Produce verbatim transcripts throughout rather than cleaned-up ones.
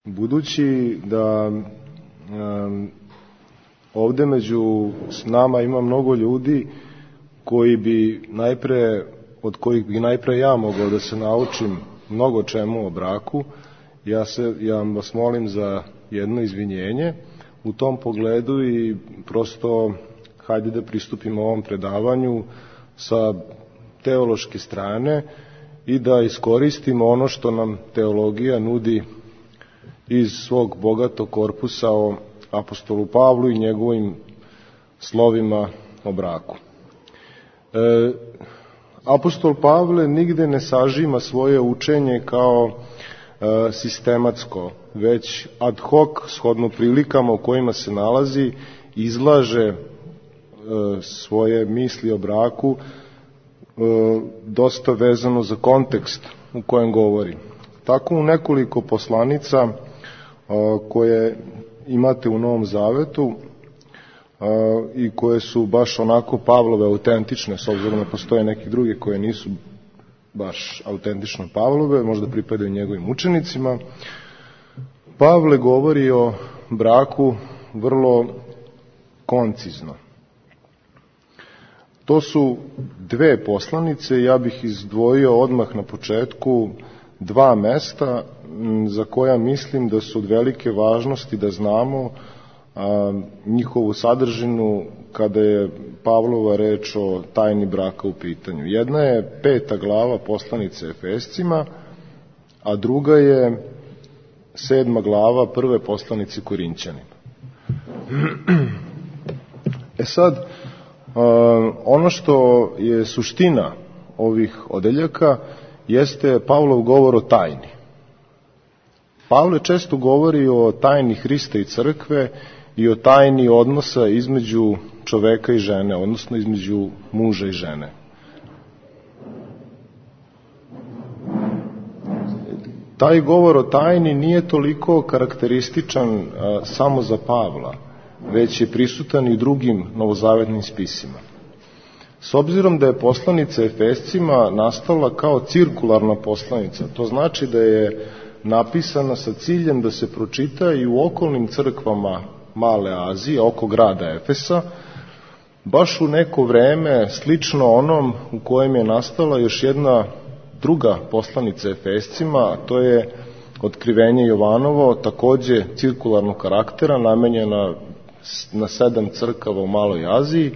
Budući da um, ovde među nama ima mnogo ljudi koji bi najpre, od kojih bi najpre ja mogao da se naučim mnogo čemu o braku, ja, se, ja vas molim za jedno izvinjenje u tom pogledu i prosto hajde da pristupimo ovom predavanju sa teološke strane i da iskoristimo ono što nam teologija nudi iz svog bogatog korpusa o apostolu Pavlu i njegovim slovima o braku. E, apostol Pavle nigde ne sažima svoje učenje kao e, sistematsko, već ad hoc, shodno prilikama u kojima se nalazi, izlaže e, svoje misli o braku e, dosta vezano za kontekst u kojem govori. Tako u nekoliko poslanica koje imate u Novom Zavetu i koje su baš onako Pavlove autentične, s obzirom da postoje neki drugi koje nisu baš autentično Pavlove, možda pripadaju njegovim učenicima. Pavle govori o braku vrlo koncizno. To su dve poslanice, ja bih izdvojio odmah na početku dva mesta za koja mislim da su od velike važnosti da znamo a, njihovu sadržinu kada je Pavlova reč o tajni braka u pitanju. Jedna je peta glava poslanice Efescima, a druga je sedma glava prve poslanice Korinćanima. E sad, a, ono što je suština ovih odeljaka jeste Pavlov govor o tajni. Pavle često govori o tajni Hrista i crkve i o tajni odnosa između čoveka i žene, odnosno između muža i žene. Taj govor o tajni nije toliko karakterističan a, samo za Pavla, već je prisutan i drugim novozavetnim spisima. S obzirom da je poslanica Efescima nastala kao cirkularna poslanica, to znači da je napisana sa ciljem da se pročita i u okolnim crkvama Male Azije, oko grada Efesa, baš u neko vreme slično onom u kojem je nastala još jedna druga poslanica Efescima, a to je Otkrivenje Jovanovo, takođe cirkularnog karaktera, namenjena na sedam crkava u Maloj Aziji.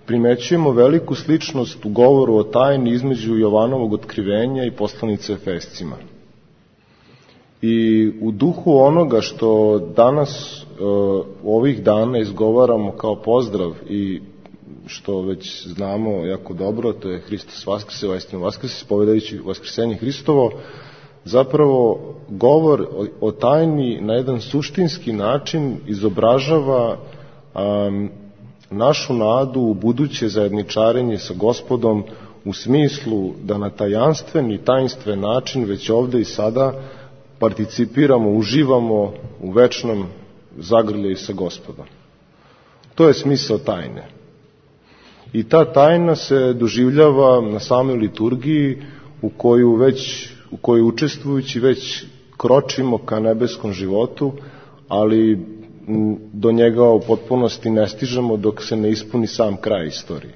Primećujemo veliku sličnost u govoru o tajni između Jovanovog otkrivenja i poslanice Efescima. I u duhu onoga što danas u ovih dana izgovaramo kao pozdrav i što već znamo jako dobro, to je Hristos Vaskrse, Vaistinu Vaskrse, spovedajući Vaskrsenje Hristovo, zapravo govor o tajni na jedan suštinski način izobražava um, našu nadu u buduće zajedničarenje sa Gospodom u smislu da na tajanstven i tajnstven način već ovde i sada participiramo, uživamo u večnom zagrljaju sa Gospodom. To je smisao tajne. I ta tajna se doživljava na samoj liturgiji u koju već, u kojoj učestvujući već kročimo ka nebeskom životu, ali do njega u potpunosti ne stižemo dok se ne ispuni sam kraj istorije.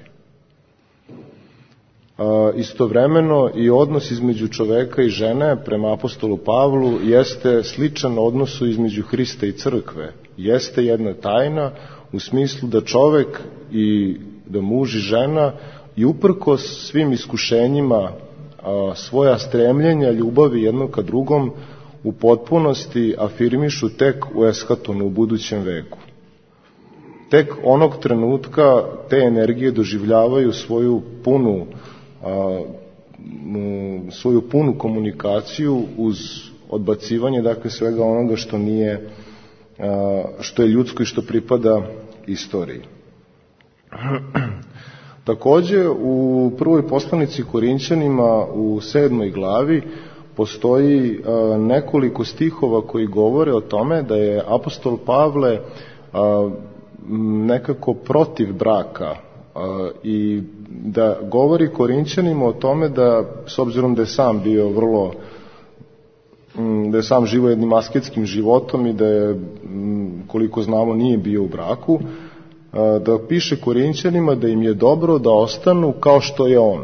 A, istovremeno i odnos između čoveka i žene prema apostolu Pavlu jeste sličan odnosu između Hrista i crkve. Jeste jedna tajna u smislu da čovek i da muž i žena i uprkos svim iskušenjima a, svoja stremljenja, ljubavi jednog ka drugom u potpunosti afirmišu tek u eskatonu, u budućem veku. Tek onog trenutka te energije doživljavaju svoju punu, a, svoju punu komunikaciju uz odbacivanje, dakle, svega onoga što nije, a, što je ljudsko i što pripada istoriji. Takođe, u prvoj poslanici Korinćanima u sedmoj glavi postoji a, nekoliko stihova koji govore o tome da je apostol Pavle a, nekako protiv braka a, i da govori Korinćanima o tome da, s obzirom da je sam bio vrlo da je sam živo jednim asketskim životom i da je, koliko znamo, nije bio u braku, da piše Korinćanima da im je dobro da ostanu kao što je on,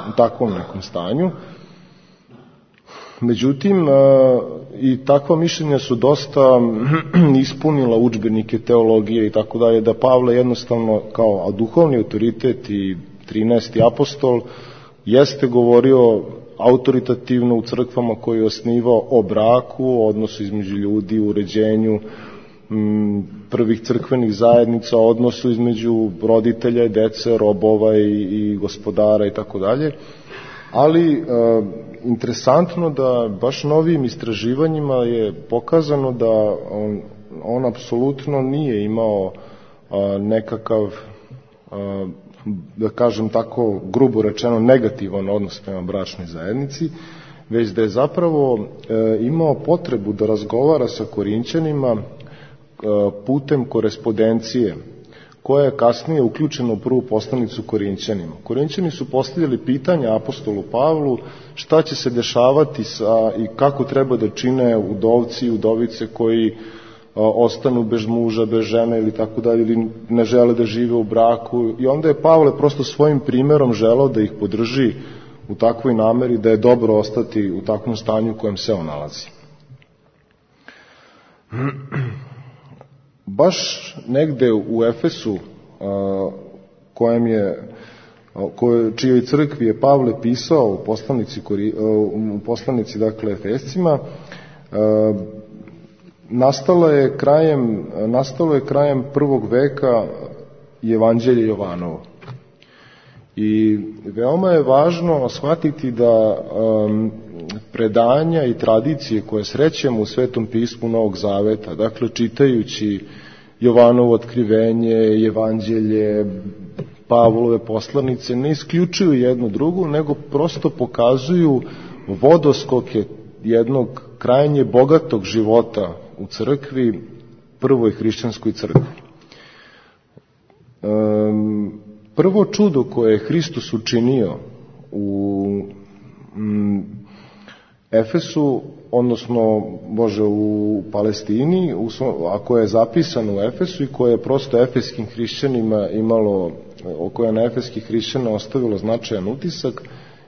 u takvom nekom stanju. Međutim, i takva mišljenja su dosta ispunila udžbenike teologije i tako dalje, da Pavle jednostavno kao duhovni autoritet i trinaesti apostol jeste govorio autoritativno u crkvama koje je osnivao o braku, o odnosu između ljudi, u uređenju m, prvih crkvenih zajednica, o odnosu između roditelja i dece, robova i, i gospodara i tako dalje. Ali e, interesantno da baš novim istraživanjima je pokazano da on, on apsolutno nije imao a, nekakav, a, da kažem tako grubo rečeno, negativan odnos prema bračnoj zajednici, već da je zapravo e, imao potrebu da razgovara sa Korinćanima e, putem korespondencije, koja je kasnije uključena u prvu poslanicu Korinćanima. Korinćani su postavljali pitanja apostolu Pavlu šta će se dešavati sa, i kako treba da čine udovci i udovice koji a, ostanu bez muža, bez žene ili tako dalje, ili ne žele da žive u braku. I onda je Pavle prosto svojim primjerom želeo da ih podrži u takvoj nameri da je dobro ostati u takvom stanju u kojem se on nalazi. Baš negde u Efesu, kojem je, koje, čijoj crkvi je Pavle pisao u poslanici, u poslanici dakle Efescima, nastalo je krajem, nastalo je krajem prvog veka Evanđelje Jovanovo. I veoma je važno shvatiti da um, predanja i tradicije koje srećemo u Svetom pismu Novog Zaveta, dakle čitajući Jovanovo otkrivenje, Evanđelje, Pavlove poslanice, ne isključuju jednu drugu, nego prosto pokazuju vodoskoke jednog krajnje bogatog života u crkvi, prvoj hrišćanskoj crkvi. Um, Prvo čudo koje je Hristos učinio u mm, Efesu, odnosno Bože u Palestini, u, a koje je zapisano u Efesu i koje je prosto efeskim hrišćanima imalo, koje je na efeskih hrišćana ostavilo značajan utisak,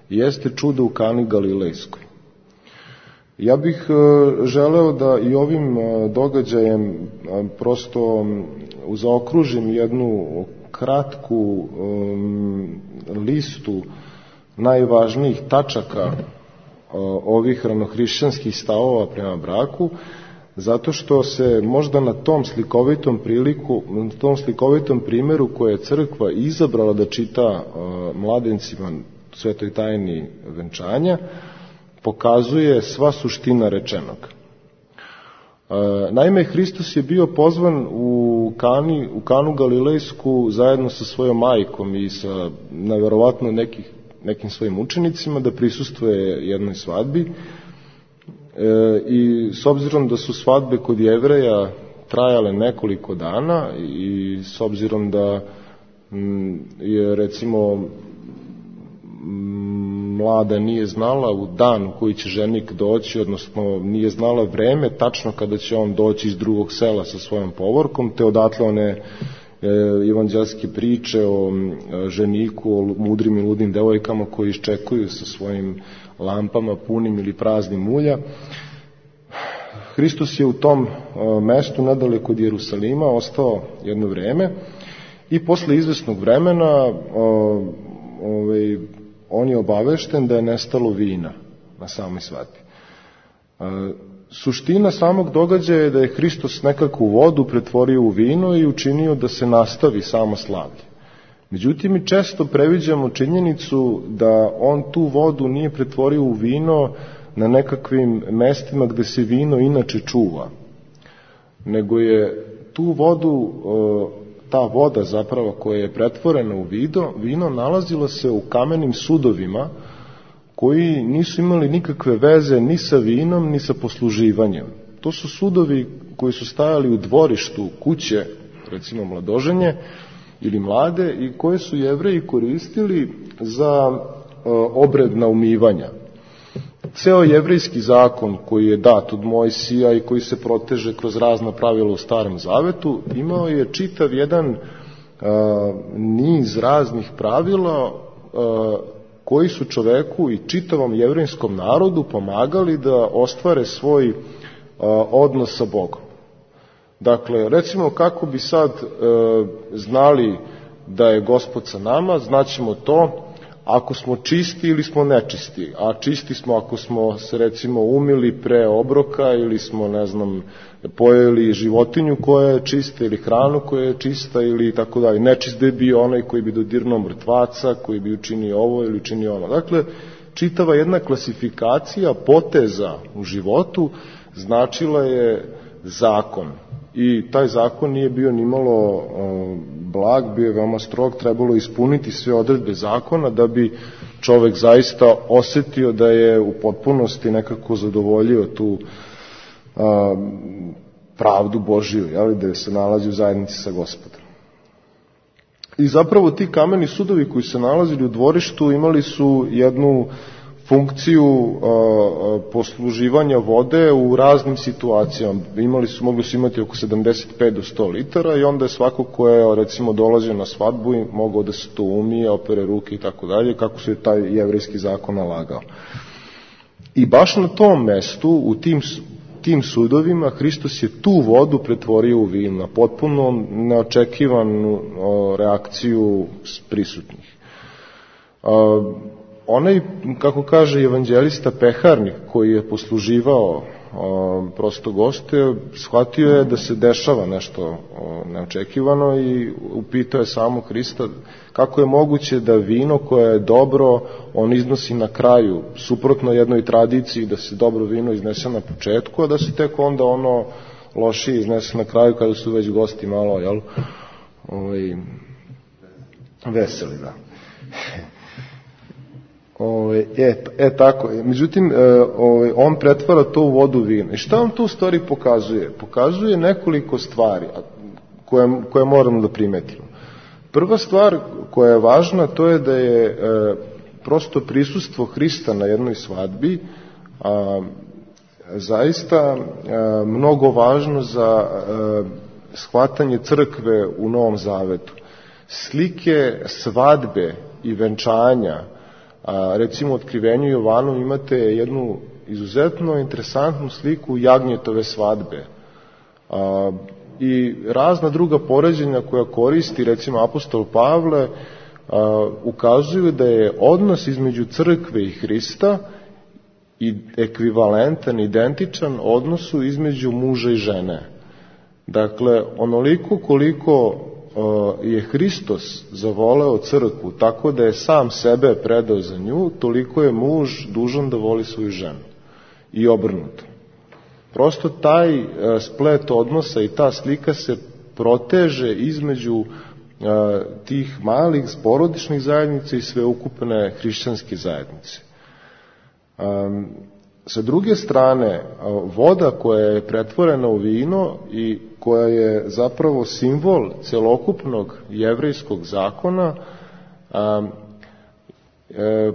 jeste čudo u Kani Galilejskoj. Ja bih e, želeo da i ovim e, događajem e, prosto zaokružim jednu kratku um, listu najvažnijih tačaka uh, ovih ranohrišćanskih stavova prema braku, zato što se možda na tom slikovitom priliku, na tom slikovitom primjeru koje je crkva izabrala da čita uh, mladencima svetoj tajni venčanja, pokazuje sva suština rečenog. Naime, Hristos je bio pozvan u, Kani, u Kanu Galilejsku zajedno sa svojom majkom i sa nevjerovatno nekih, nekim svojim učenicima da prisustvuje jednoj svadbi. E, I s obzirom da su svadbe kod Jevreja trajale nekoliko dana i s obzirom da m, je recimo mlada nije znala u dan u koji će ženik doći, odnosno nije znala vreme tačno kada će on doći iz drugog sela sa svojom povorkom, te odatle one e, evanđelske priče o e, ženiku, o mudrim i ludnim devojkama koji iščekuju sa svojim lampama punim ili praznim ulja. Hristos je u tom e, mestu nadaleko od Jerusalima ostao jedno vreme i posle izvesnog vremena e, ovaj on je obavešten da je nestalo vina na samoj svadbi. E, suština samog događaja je da je Hristos nekako vodu pretvorio u vino i učinio da se nastavi samo slavlje. Međutim, mi često previđamo činjenicu da on tu vodu nije pretvorio u vino na nekakvim mestima gde se vino inače čuva, nego je tu vodu, ta voda zapravo koja je pretvorena u vino, vino nalazila se u kamenim sudovima koji nisu imali nikakve veze ni sa vinom ni sa posluživanjem. To su sudovi koji su stajali u dvorištu kuće, recimo mladoženje ili mlade, i koje su Jevreji koristili za e, obred naumivanja. ceo jevrejski zakon koji je dat od Mojsija i koji se proteže kroz razna pravila u Starom Zavetu, imao je čitav jedan a, niz raznih pravila a, koji su čoveku i čitavom jevrejskom narodu pomagali da ostvare svoj a, odnos sa Bogom. Dakle, recimo kako bi sad e, znali da je Gospod sa nama, znaćemo to ako smo čisti ili smo nečisti, a čisti smo ako smo se recimo umili pre obroka ili smo, ne znam, pojeli životinju koja je čista ili hranu koja je čista ili tako dalje. Nečist da je bio onaj koji bi dodirnuo mrtvaca, koji bi učinio ovo ili učinio ono. Dakle, čitava jedna klasifikacija poteza u životu značila je zakon. I taj zakon nije bio nimalo blag, bio je veoma strog, trebalo ispuniti sve odredbe zakona da bi čovek zaista osetio da je u potpunosti nekako zadovoljio tu a, pravdu Božiju, jel, da se nalazi u zajednici sa Gospodom. I zapravo ti kameni sudovi koji se nalazili u dvorištu imali su jednu funkciju a, a, posluživanja vode u raznim situacijama. Imali su, mogli su imati oko sedamdeset pet do sto litara i onda je svako ko je recimo dolazio na svadbu i mogao da se to umije, opere ruke i tako dalje, kako se je taj jevrejski zakon nalagao. I baš na tom mestu, u tim, tim sudovima, Hristos je tu vodu pretvorio u vino, na potpuno neočekivanu a, reakciju prisutnih. A, Onaj, kako kaže evanđelista peharnik, koji je posluživao o, prosto goste, shvatio je da se dešava nešto o, neočekivano i upitao je samo Hrista kako je moguće da vino koje je dobro, on iznosi na kraju, suprotno jednoj tradiciji da se dobro vino iznese na početku, a da se tek onda ono lošije iznese na kraju kada su već gosti malo, jel, ovaj, veseli, da. Ove, e, e tako, međutim ove, on pretvara to u vodu vina. I šta on to u stvari pokazuje? Pokazuje nekoliko stvari koje, koje moramo da primetimo. Prva stvar koja je važna, to je da je e, prosto prisustvo Hrista na jednoj svadbi a, zaista a, mnogo važno za a, shvatanje crkve u Novom Zavetu. Slike svadbe i venčanja, a, recimo u Otkrivenju Jovanu imate jednu izuzetno interesantnu sliku jagnjetove svadbe a, i razna druga poređenja koja koristi recimo apostol Pavle a, ukazuju da je odnos između crkve i Hrista i ekvivalentan, identičan odnosu između muža i žene. Dakle, onoliko koliko je Hristos zavoleo crkvu tako da je sam sebe predao za nju, toliko je muž dužan da voli svoju ženu. I obrnuto. Prosto taj splet odnosa i ta slika se proteže između tih malih porodičnih zajednica i sveukupne hrišćanske zajednice. Sa druge strane, voda koja je pretvorena u vino i koja je zapravo simbol celokupnog jevrejskog zakona, a, e,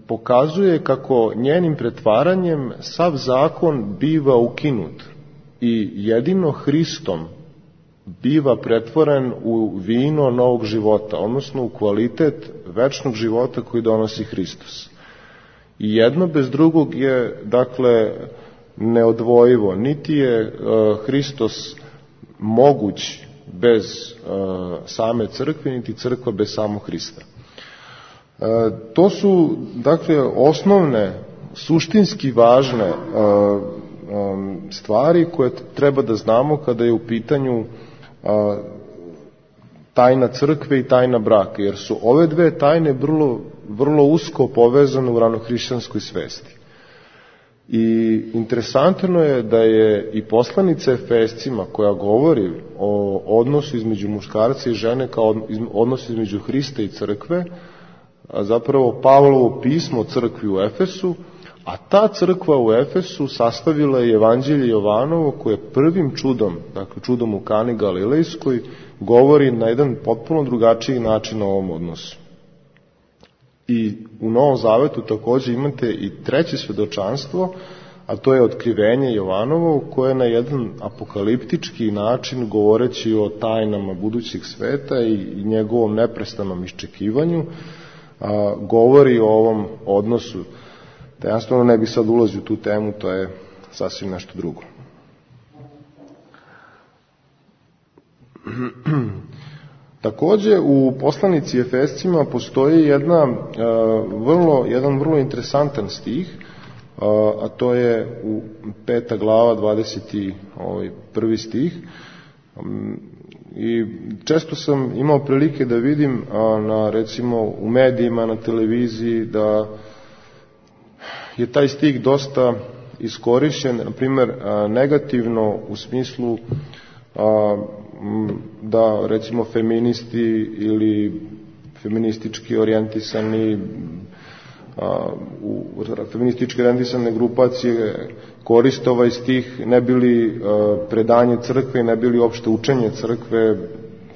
pokazuje kako njenim pretvaranjem sav zakon biva ukinut i jedino Hristom biva pretvoren u vino novog života, odnosno u kvalitet večnog života koji donosi Hristos. I jedno bez drugog je, dakle, neodvojivo. Niti je uh, Hristos moguć bez uh, same crkve, niti crkva bez samog Hrista. Uh, to su, dakle, osnovne, suštinski važne uh, um, stvari koje treba da znamo kada je u pitanju uh, tajna crkve i tajna braka, jer su ove dve tajne vrlo, vrlo usko povezane u ranohrišćanskoj svesti. I interesantno je da je i poslanica Efescima koja govori o odnosu između muškarca i žene kao odnosu između Hrista i crkve, a zapravo Pavlovo pismo crkvi u Efesu, a ta crkva u Efesu sastavila je Evanđelje Jovanovo koje prvim čudom, dakle čudom u Kani Galilejskoj, govori na jedan potpuno drugačiji način o ovom odnosu. I u Novom Zavetu takođe imate i treće svedočanstvo, a to je otkrivenje Jovanovo, koje na jedan apokaliptički način, govoreći o tajnama budućeg sveta i, i njegovom neprestanom iščekivanju, a, govori o ovom odnosu. Tajanstveno ne bi sad ulazio u tu temu, to je sasvim nešto drugo. Takođe, u poslanici Efescima postoji jedna, uh, vrlo, jedan vrlo interesantan stih, uh, a to je u peta glava, dvadeset prvi stih. Um, I često sam imao prilike da vidim uh, na, recimo, u medijima, na televiziji, da je taj stih dosta iskorišćen, na primjer, uh, negativno u smislu uh, da, recimo, feministi ili feministički orijentisani a, u feministički orijentisane grupacije koriste ovaj stih, ne bili a, predanje crkve, ne bili opšte učenje crkve,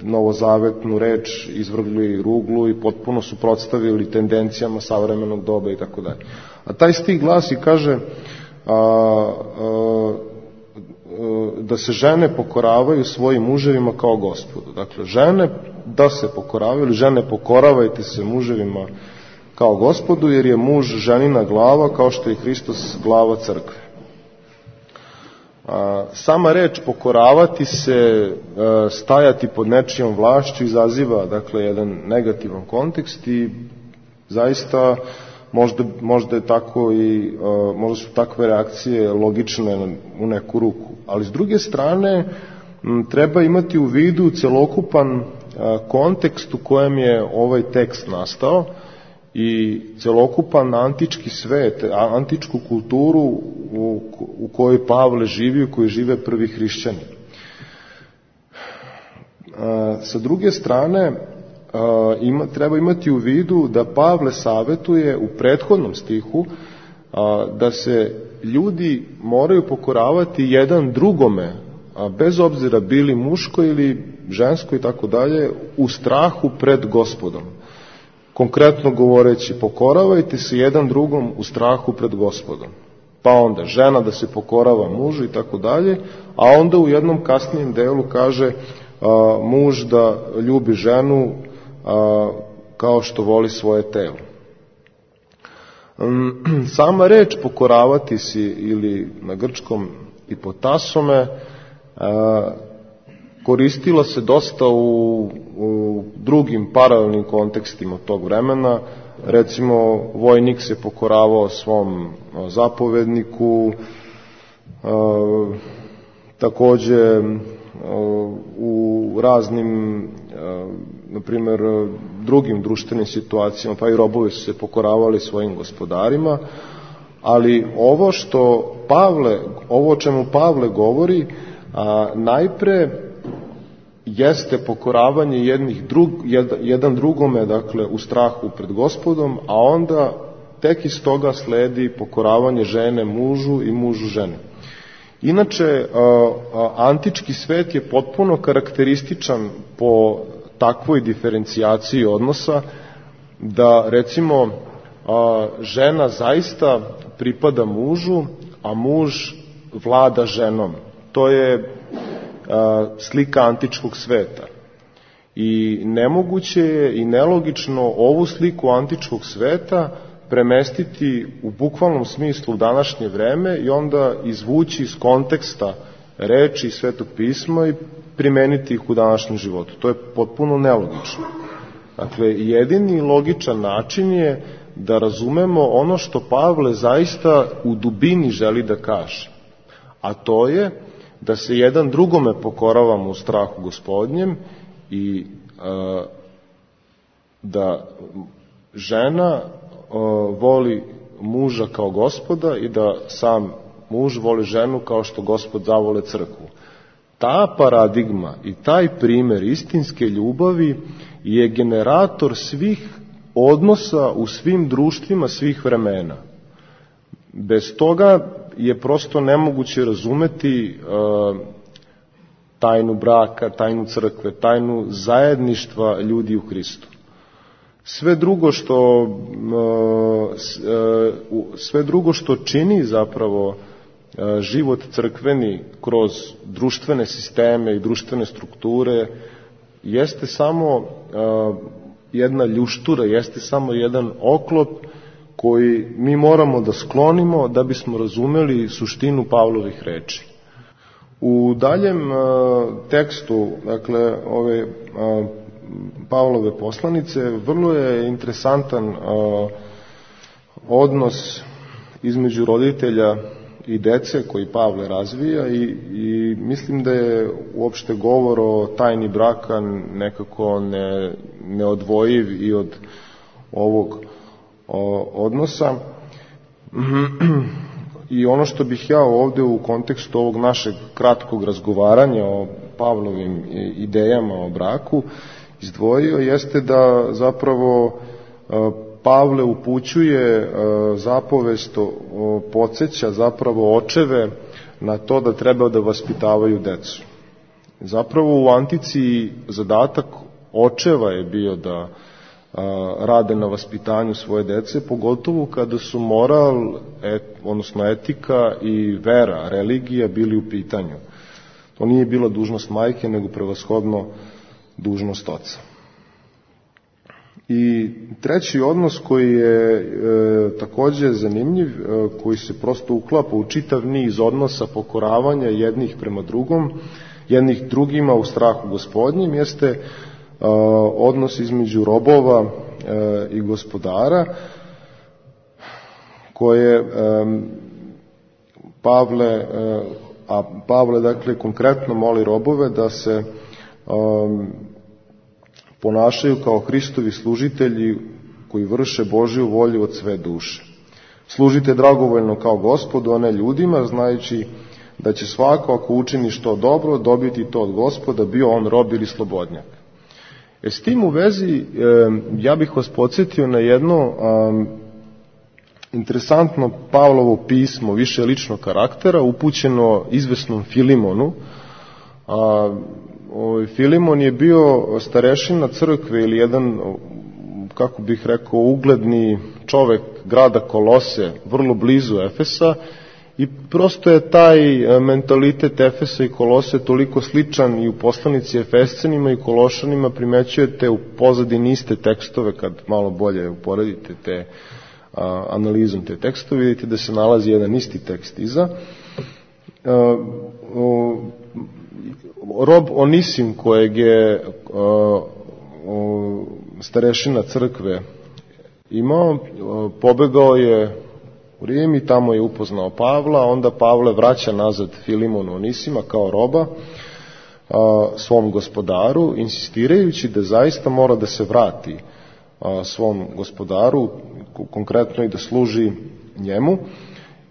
novozavetnu reč izvrgli ruglu i potpuno suprotstavili tendencijama savremenog doba i tako dalje. A taj stih glasi, kaže, a, a, da se žene pokoravaju svojim muževima kao Gospodu. Dakle, žene da se pokoravaju, ili žene pokoravajte se muževima kao Gospodu, jer je muž ženina glava, kao što je Hristos glava crkve. Sama reč pokoravati se, stajati pod nečijom vlašću izaziva, dakle, jedan negativan kontekst i zaista možda, možda je tako i možda su takve reakcije logične u neku ruku. Ali s druge strane treba imati u vidu celokupan kontekst u kojem je ovaj tekst nastao i celokupan antički svet, antičku kulturu u, u kojoj Pavle živi, u kojoj žive prvi hrišćani. Sa druge strane, ima, treba imati u vidu da Pavle savetuje u prethodnom stihu da se ljudi moraju pokoravati jedan drugome, bez obzira bili muško ili žensko i tako dalje, u strahu pred Gospodom. Konkretno govoreći, pokoravajte se jedan drugom u strahu pred Gospodom. Pa onda žena da se pokorava mužu i tako dalje, a onda u jednom kasnijem delu kaže a, muž da ljubi ženu a, kao što voli svoje telo. Sama reč pokoravati si, ili na grčkom ipotasome, a, koristila se dosta u, u drugim paralelnim kontekstima tog vremena. Recimo, vojnik se pokoravao svom zapovedniku, a, takođe a, u raznim, a, na primjer, drugim društvenim situacijama, pa i robovi su se pokoravali svojim gospodarima, ali ovo što Pavle, ovo o čemu Pavle govori, a, najpre jeste pokoravanje jednih drug, jedan drugome, dakle, u strahu pred Gospodom, a onda tek iz toga sledi pokoravanje žene mužu i mužu žene. Inače, antički svet je potpuno karakterističan po takvoj diferencijaciji odnosa, da, recimo, žena zaista pripada mužu, a muž vlada ženom. To je slika antičkog sveta. I nemoguće je i nelogično ovu sliku antičkog sveta premestiti u bukvalnom smislu u današnje vreme i onda izvući iz konteksta reči Svetog pisma i primeniti ih u današnjem životu. To je potpuno nelogično. Dakle, jedini logičan način je da razumemo ono što Pavle zaista u dubini želi da kaže. A to je da se jedan drugome pokoravamo u strahu Gospodnjem i a, da žena a, voli muža kao Gospoda i da sam muž voli ženu kao što Gospod zavole crkvu. Ta paradigma i taj primer istinske ljubavi je generator svih odnosa u svim društvima svih vremena. Bez toga je prosto nemoguće razumeti uh, tajnu braka, tajnu crkve, tajnu zajedništva ljudi u Hristu. Sve drugo što sve drugo što čini zapravo život crkveni kroz društvene sisteme i društvene strukture jeste samo jedna ljuštura, jeste samo jedan oklop koji mi moramo da sklonimo da bismo razumeli suštinu Pavlovih reči. U daljem tekstu, dakle, ove Pavlove poslanice, vrlo je interesantan odnos između roditelja i dece koji Pavle razvija i, i mislim da je uopšte govor o tajni braka nekako ne, neodvojiv i od ovog o, odnosa. I ono što bih ja ovde u kontekstu ovog našeg kratkog razgovaranja o Pavlovim idejama o braku izdvojio jeste da zapravo Pavle upućuje zapovest, podsjeća zapravo očeve na to da treba da vaspitavaju decu. Zapravo u antici zadatak očeva je bio da rade na vaspitanju svoje dece, pogotovo kada su moral, et, odnosno etika i vera, religija bili u pitanju. To nije bila dužnost majke, nego prevashodno dužnost oca. I treći odnos koji je e, takođe zanimljiv, e, koji se prosto uklapa u čitav niz odnosa pokoravanja jednih prema drugom, jednih drugima u strahu Gospodnjim, jeste e, odnos između robova e, i gospodara, koje e, Pavle, e, a Pavle dakle konkretno moli robove da se e, ponašaju kao Hristovi služitelji koji vrše Božju volju od sve duše. Služite dragovoljno kao Gospodu, a ne ljudima, znajući da će svako ako učini što dobro dobiti to od Gospoda, bio on rob ili slobodnjak. E, s tim u vezi e, ja bih vas podsjetio na jedno a, interesantno Pavlovo pismo više ličnog karaktera upućeno izvesnom Filimonu. A, Ovaj Filimon je bio starešina crkve ili jedan, kako bih rekao, ugledni čovek grada Kolose, vrlo blizu Efesa, i prosto je taj mentalitet Efesa i Kolose toliko sličan i u poslanici Efescenima i Kološanima. Primećujete u pozadini iste tekstove, kad malo bolje uporedite te a, analizom te tekstove, vidite da se nalazi jedan isti tekst iza. A, o, Rob Onisim, kojeg je uh, uh, starešina crkve imao, uh, pobegao je u Rim i tamo je upoznao Pavla, onda Pavle vraća nazad Filimonu Onisima kao roba uh, svom gospodaru, insistirajući da zaista mora da se vrati uh, svom gospodaru, konkretno i da služi njemu,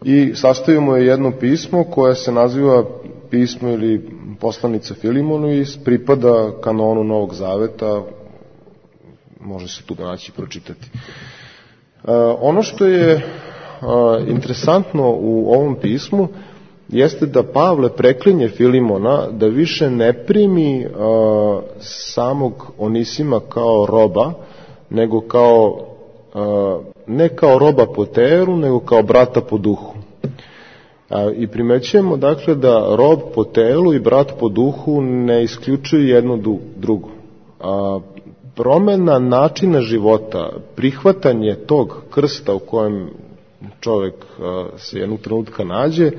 i sastavimo je jedno pismo koje se naziva pismo ili poslanica Filimonu i pripada kanonu Novog Zaveta, može se tu naći i pročitati. E, ono što je e, interesantno u ovom pismu jeste da Pavle preklinje Filimona da više ne primi e, samog Onisima kao roba, nego kao, e, ne kao roba po teru, nego kao brata po duhu. I primećujemo dakle da rob po telu i brat po duhu ne isključuju jedno drugo. A, promena načina života, prihvatanje tog krsta u kojem čovek a, se jednog trenutka nađe,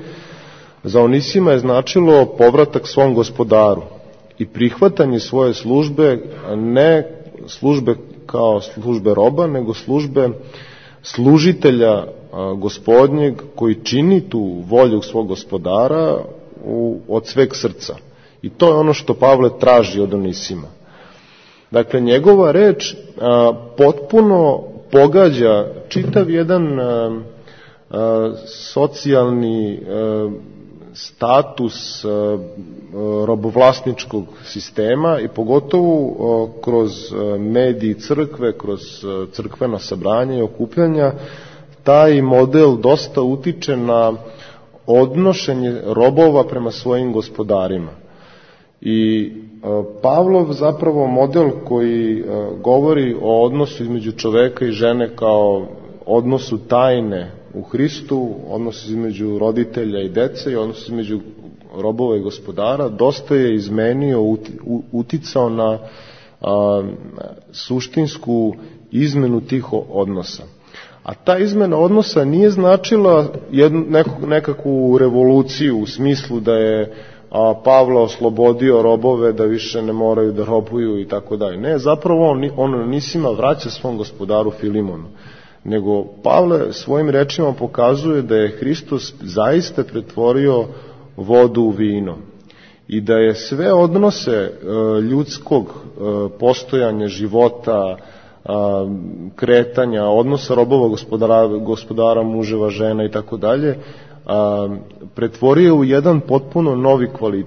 za Onisima je značilo povratak svom gospodaru i prihvatanje svoje službe, ne službe kao službe roba, nego službe služitelja Gospodnjeg koji čini tu volju svog gospodara u, od sveg srca. I to je ono što Pavle traži od Onisima. Dakle, njegova reč a, potpuno pogađa čitav jedan a, a, socijalni a, status a, robovlasničkog sistema i pogotovo a, kroz mediji crkve, kroz a, crkvena sabranja i okupljanja. Taj model dosta utiče na odnošenje robova prema svojim gospodarima. I Pavlov zapravo model koji govori o odnosu između čoveka i žene kao odnosu tajne u Hristu, odnosu između roditelja i dece i odnosu između robova i gospodara, dosta je izmenio, uticao na a, suštinsku izmenu tih odnosa. A ta izmena odnosa nije značila jednu, neku, nekakvu revoluciju u smislu da je a, Pavle oslobodio robove da više ne moraju da robuju i tako dalje. Ne, zapravo on, on Nisima vraća svom gospodaru Filimonu. Nego Pavle svojim rečima pokazuje da je Hristos zaista pretvorio vodu u vino i da je sve odnose e, ljudskog e, postojanja, života, e, kretanja, odnosa robova, gospodara, gospodara muževa, žena i tako dalje, pretvorio u jedan potpuno novi kvalitet.